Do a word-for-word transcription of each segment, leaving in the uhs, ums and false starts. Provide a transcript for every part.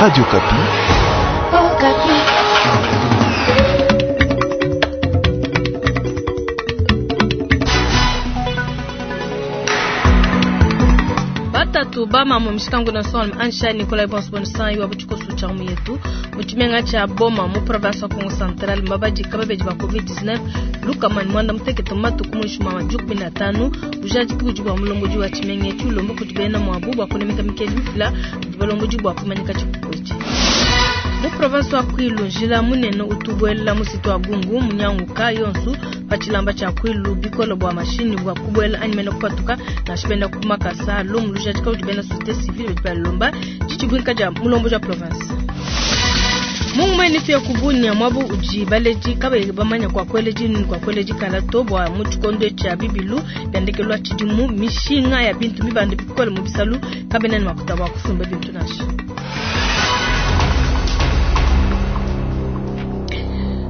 Radio Okapi. Okapi. Batatu bama mu mishikangu na son ansha Nicolas Bonsbonsan iwa buchikosu cha mu yetu mu tshimenga tsha Boma mu province wa Kongo Central mbabaji kababeji ba COVID dix-neuf lukamani mwanda mutekete matuku muinshi mwa majukumi na tanu bujadiki budi bua mulongoji wa tshimenga etshi ulomba kudi bena muabu bua kunemeka mikenji mifila budi balongoji bua kumanyika tshipupu etshi. Mu province wa Kwilu njila munene utubuela musitu wa Gungu munyanguka yonsu pa tshilamba tshia Kwilu bikolo bua mashini bua kubuela anyi mena kupatuka nansha benda ku makasa lumu lujadika udi bena société civile badi balomba tshitshibuika dia mulombo dia province. Mungu mwene tuya kubunya mwabu udi baleji kabayi bamanya kwa kweleji ni kwa kweleji kala to bua mu tshikondo tshia bibilu biandekelwa tshidimu mishinga ya bintu mibande bikole mu bisalu kabena ne makuta bua kusumba bintu nansha.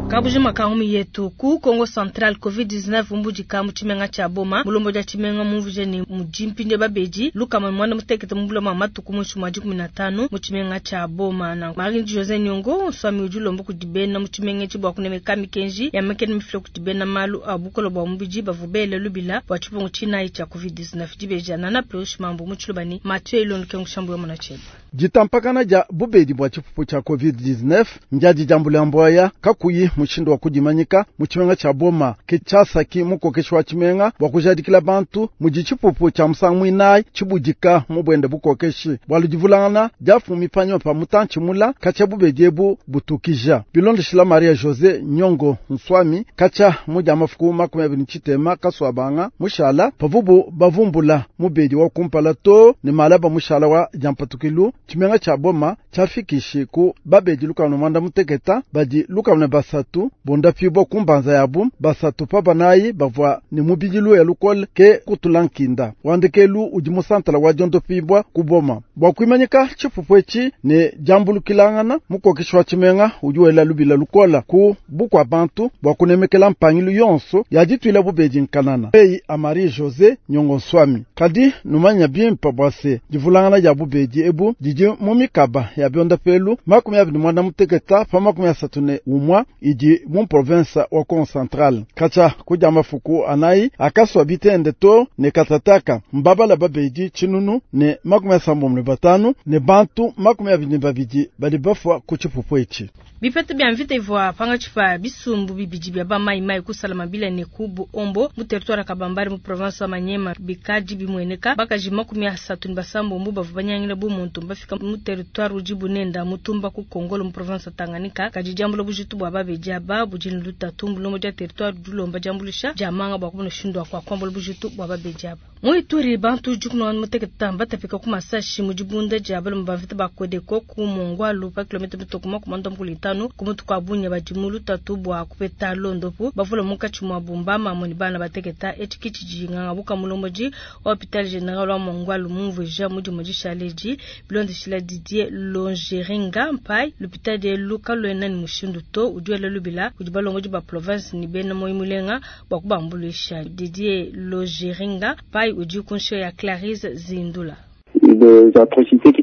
Kabujima kahumi yetu ku Kongo Central COVID dix-neuf mbujika mu tshimenga tsha Boma mulombo dia tshimenga mumvuje ni mujimpinde babedi lukama mwana mutekete mubula matuku muinshi mwa dikumi na tanu mu tshimenga tsha Boma na Marie José Nyongo swami udi ulomba kudi bena mu tshimenga etshi bua kunemeka mikenji ya mekene mifila kudi bena malu a bukolo bua mubidi bavua bele lubila bua tshipungu tshinayi tshia COVID dix-neuf dibeja nana Pius Mambo mu tshilubani Mathieu Ilondo Kengu ya mwana tsheba. Ditampakana dia bubedi bua tshipupu tshia COVID dix-neuf ndiadi dia mbulambwaya kakuyi mushindu wa kudimanyika mu tshimenga tsha Boma ke tshiasaki mukokeshi wa tshimenga bua kujadikila bantu mudi tshipupu tshia musangu muinayi tshibudika mu buende bukokeshi bua ludivulangana diafumi panyima pa mutantshi mula katshia bubedi ebu butukija. Bilondeshila Maria José Nyongo Nswami katshia mudia mafuku makumi abidi ne tshitema kasuabanga mushala pavubu bavumbula mubedi wa kumpala to ne malaba mushala wa diampatukilu tshimenga tsha Boma tshiafikishi ku babedi lukanu mwanda muteketa badi lukanu basatu bondapibwa kumbanza yabu basatu pa banayi bavua ne mubidi ya lukole ke kutula nkinda wandekelu udi musantala wa diondopibwa ku Boma bua kuimanyika tshipupu etshi ne diambulukilangana mukokeshi wa tshimenga udi wela lubila lukola ku bukua bantu bua kunemekela mpangilu yonso ya dituila bubedi nkanana eyi a Marie José Nyongo Nswami kadi numanya bimpe bua se divulangana dia bubedi ebu didi mu mikaba ya biondapelu makumi abidi mwanda muteketa pa makumi asatu ne umwa idi mu province wa Kongo Central katshia kudia mafuku anayi akaswa bitende to ne katataka mbabala babedi tshinunu ne makumi asambombo ne batanu ne bantu makumi abidi ne babidi badi bafua ku tshipupu etshi. Bipete bia mvita ivua pangatshi pa bisumbu bibidi bia ba mai mai kusala mabila ne kubu ombo mu territoire Kabambari mu province wa Manyema bikadi bimueneka bakaji makumi asatu ne basambombo bavua banyangila bu muntu bafika mu territoire udi bunenda mutumba ku Kongolo mu province wa Tanganyika kadi diambula bujitu bua babedi aba budi ne lutatu mbulombo dia territoire dilomba diambulisha dia manga bua kumona mushindu wa kuambula bujitu bua babedi aba. Mu Ituri bantu dikumi mutekete batapika ku masashi mu dibunda dia balume ba mvita ba Kodeko ku Mongwalu pa kilomita mitoko makumi anda mukulu itanu ku mutu kwa Bunya badi mu lutatu bua kupeta londopu bavula munkatshi mua Bumba mamoni bana bateketa etshi kitshijinganga buka mulomboji wa hôpital général wa Mongwalu mumvuija mudimu dishaleji bilondeshila Didier Longeringa Mpai l'hôpital de Luka luena ni mushindu to udi lubila kudi balongoji ba province ni bena moyi mulenga bua kubambulisha Didier Longeringa Mpai udi kunsho ya Clarisse Zindula.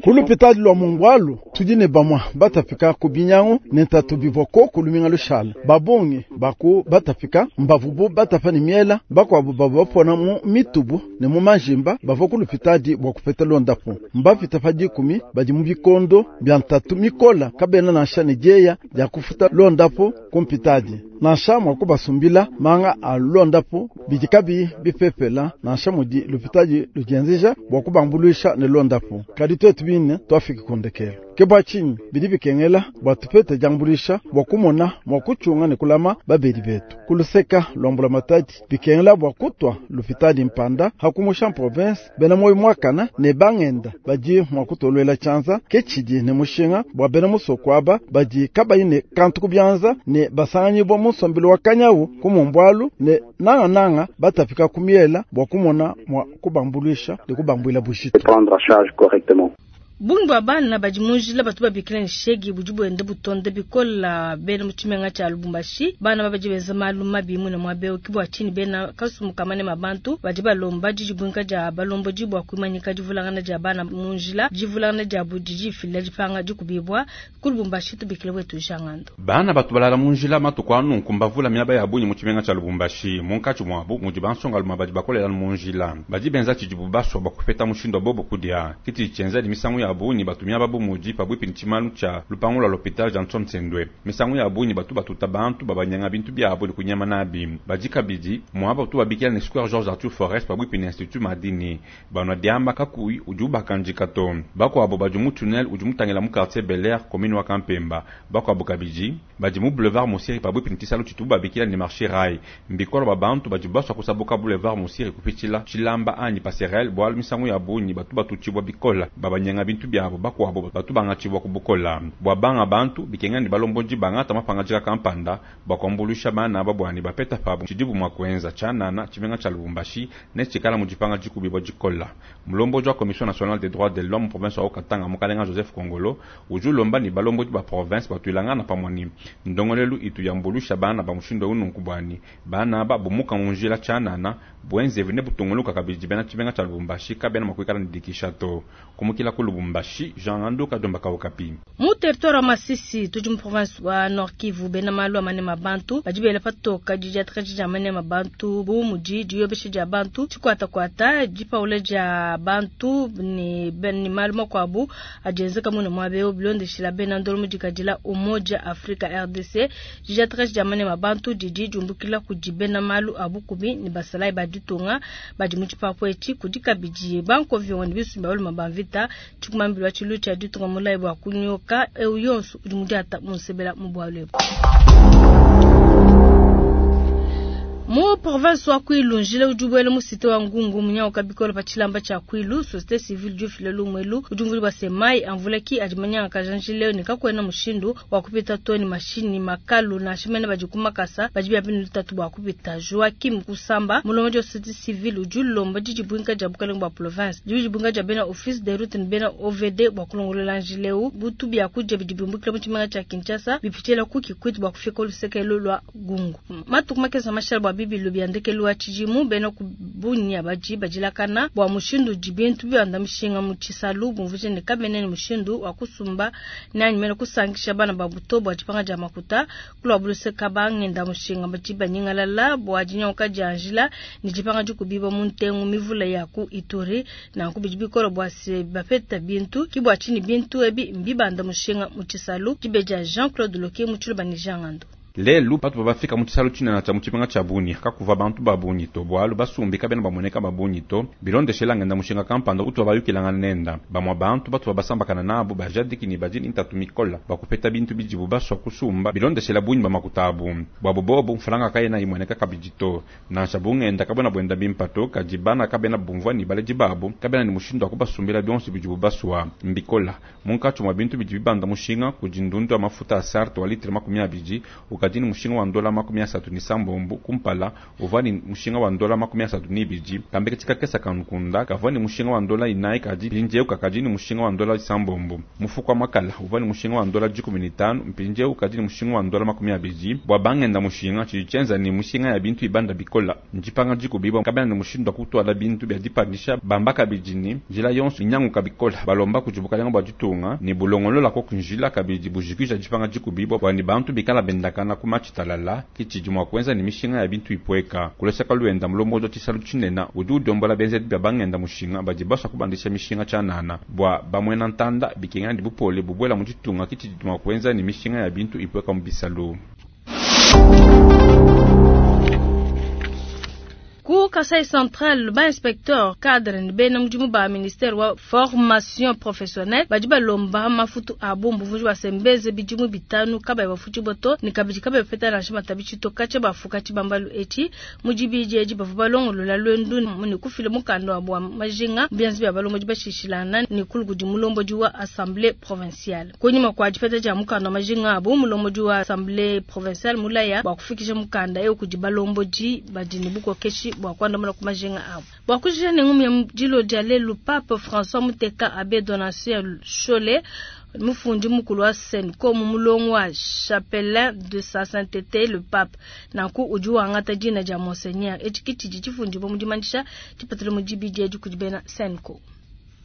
Ku lupitali lwa Mongwalu tudi ne bamwa batapika ku binyangu ne ntatu bivua koku luminga lushala babongi baku batapika mbavubu batapa ne miela bakuabu bavua bapona mu mitubu ne mu majimba bavua ku lupitali bua kupeta londapu mbapita pa dikumi badi mu bikondo bia ntatu mikola kabena nansha ne dieya dia kufuta londapu ku mpitadi nansha mua kubasumbila manga a londapu bidi kabi bipepela nansha mudi lupitali ludienzeja bua kubambuluisha ne londapu kadi twetu bine twafika kundekelo ke bua tshinyi bidi bikengela bua tupete diambulisha bua kumona mua kutshiunga ne kulama babedi betu kuluseka lwambula matadi bikengela bua kutwa lupitali mpanda hakumusha province bena moyo mwakana ne bangenda badi mua kutolwela tshianza ke tshidi ne mushinga bua bena musoko aba badi kabayi ne kantu ku bianza ne basanganyibwa mu nsombelu wa kanyawu ku mumbwalu ne nangananga batapika ku miela bua kumona mua kubambuluisha ne kubambuila bujitu. Prendre en charge correctement. Bungi bua bana badi mu njila batu babikila ne shegi budi buenda butonda bikola bena mu tshimenga tshia Lubumbashi. Bana badi benza malu mabi mune muaba eu ke bua tshinyi bena kasumbu ka manema bantu badi balomba didibuinka dia balombodi bua kuimanyika divulangana dia bana mu njila. Divulangana dia budi difila dipanga dikubibwa ku Lubumbashi tubikile wetu Jangando. Bana batu balala mu njila matuku anu kumbavula miaba ya bungi mu tshimenga tshia Lubumbashi munkatshi muabu mudi bansongalume badi bakolela mu njila badi benza tshidibu basua bua kupeta mushindu wa bobo kudia kiti tshienza misangu ya bungi batumia babu mudi pabuipi ne tshimanu tshia lupangu lwa l'hôpital Johnson Sendwe. Misangu ya bungi batu batuta bantu babanyanga bintu byabo ne kunyama nabi badi kabidi muaba tu babikila ne Square Georges Arthur Forest pabuipi ne Institut Madini banwa diamba kakuyi udi ubakandika to bakwabo badi mu tunnel udi mutangila mu quartier Bel Air commune wa Kampemba bakwabo kabidi badi mu boulevard Mosiri pabuipi ne tshisalu tshitu babikila ne marché rail mbikolo ba bantu badi baswa kusabuka boulevard Mosiri kupitshila tshilamba anyi passerelle bwalu misangu ya bungi batu batutshibwa bikola babanyanga bintu byabo bakwabo batu bangatshibwa kubukola bwa banga bantu bikenga ni balombodi bangata mapangajika kampanda bakwambulusha bana babwani bapeta pabu tshidibu mwa kuenza tshanana tshimenga tsha Lubumbashi ne tshikala mu dipanga dikubibwa dikola. Mulombodi wa Commission nationale des droits de l'homme province wa Katanga mukalenga Joseph Kongolo udi ulomba ni balombodi ba province batuilangana pamwe ndongolelu itu yambulusha bana ba mushindo ununku bwani bana ba bumuka mu njila tshanana bwenze ne butunguluka kabidi bena tshimenga tsha Lubumbashi kabena makwikala ndikisha to kumukila ku Lubumbashi Jean Anduka Domba Kaukapi. Mu territoire wa Masisi tudi mu province wa Nord Kivu bena malu amane mabantu badi bela patoka didiatra dia mane mabantu bu mudi diyobesha dia bantu tshikwata kwata dipaula dia bantu ne ben malu makwabu adienzeka mune mwabeo bilondeshila bena ndolo mudikadila Umoja Afrika R D C didiatra dia mane mabantu didi diumbukila kudi bena malu abukubi ni basalai baditunga badi mu tshipapu etshi kudi kabidi bankovyo ne bisumba baluma bamvita tshikumambilwa tshilu tshia ditunga mulayi bua kunyoka eu yonso udi mudiata munsebela mu bwalu. Mu province wa Kwilu njila udi ubwela mu cité wa Ngungu munyauka bikolo pa tshilamba tshia Kwilu société civile du file lumwelu udi mvuli bwa semai amvula ki adi manyanga kajanjile ne kakwena mushindu wa kupita toni mashini makalu na shimene badi kumakasa badi bya binu tatu bwa kupita Joaquim Kusamba mulongo wa société civile udi lomba didibwinka dia bukalenga bwa province didibwinka dia bena office de route ne bena O V D bwa kulongolola njileu butu bya kuja bidibumbukila mu tshimenga tshia Kinshasa bipitshila ku Kikwit bwa kufika olusekelo lwa Gungu matuku makesa mashal bwa bibilu byandekelu wa tshidimu bena kubunya baji bajilakana bwa mushindu dibintu byanda mishinga mu tshisalu bumvuje ne kabene ne mushindu wa kusumba nani mena kusangisha bana babuto bwa dipanga dia makuta kulwa buluse kabangenda mushinga baji banyingalala bwa dinyoka dia njila ni dipanga dikubiba mu ntengu mivula ya ku Ituri na kubiji bikolo bwa se bapeta bintu kibwa chini bintu ebi mbibanda mushinga mu tshisalu dibeja Jean-Claude Loke mu tshiluba ni Jean Ngando. Lelu patu babafika mu tshisalu tshinene tshia mu tshimenga tshia Bunia kakuva bantu ba bungi to bwalu basumbika bena bamoneka ba bungi to bilondeshela ngenda mushinga kampanda utu bayukilanga nenda bamwa bantu batu babasambakana nabo bajadiki ni bajini ntatu mikola bakupeta bintu bijibu baswa kusumba bilondeshela bungi bamakutabu bwabo bobo mfalanga kayena imweneka kabidi to nansha bungenda kabona bwenda bimpato kadibana kabena bumvwa ni baleji babo kabena ni mushindu akubasumbila bionso bijibu baswa mbikola munkatshi mwa bintu bidi bibanda mushinga kujindundu amafuta asarte wa litre makumi abidi ukadini mushinga wa ndola makumi asatu ni sambombo kumpala uvani mushinga wa ndola makumi asatu ni biji kambeke tshikakesa kankunda kavani mushinga wa ndola inayi kadi mpindieu kakadini mushinga wa ndola sambombo mufuko wa makala uvani mushinga wa ndola dikumi ni tanu mpindieu kadini mushinga wa ndola makumi abidi bwa bangenda mushinga tshidi ni mushinga ya bintu ibanda bikola njipanga dikubiba kabena ni mushindu wa kutwala bintu bya dipandisha bamba kabidini njila yonso inyanguka bikola balomba kujibukalenga bwa ditunga ni bulongolola ko kunjila kabidi bujikisha dipanga dikubiba bwa ni bantu bikala bendakana kumachitalala kichidi mwa kwenza ni mishinga ya bintu ipweka kuleseka luenda mulombozo tshisalu tshinena udi udombola benzedi bya bangenda mushinga badi baswa kubandisha mishinga tshanana bwa bamwena ntanda bikenga ndi bupole bubwela mu ditunga kichidi mwa kwenza ni mishinga ya bintu ipweka mu bisalu. Ku Kasai Central, ba inspecteur cadre ni bena mudimu ba ministère wa formation professionnelle badi balomba mafutu abo mbuvuji basembeze bidimu bitanu kabayi bafuti boto ni kabidi kabayi bapeta nansha matabi toka bafuka tshibambalu etshi mudibidi edi bavua balongolola lwendu ni kufila mukanda wa bwa majinga bianzi bya balombo bashishilana ni kulugudi mulombodi wa assemblée provinciale kunyuma kwa dipeta dia mukanda wa majinga abo mulombodi wa assemblée provinciale mulaya bwa kufikisha mukanda eu kudi balombodi badi ni bukokeshi bwa kuandamuna ku majinga abu. Bua kujikija ne ngumu ya dilo dia lelu, Pape François muteka Abbé Donatien Nshole mufundi mukulu wa CENCO mu mulongo wa chapelain de sa sainteté le pape, nanku udi wangata dina dia monseigneur. Etshi ke tshidi tshifundibua mu dimanyisha dipatula mu dibidi edi kudi bena CENCO.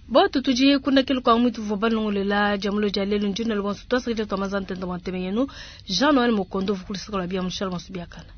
Botu tudi kundakelu kwa mwitu vua balongolela dia mulo dia lelu ndina lo bonso twasakidila tua mazantenda mwa nteme yenu Jean Noël Mokondo vukulisaka la bia mushala bonso biakana.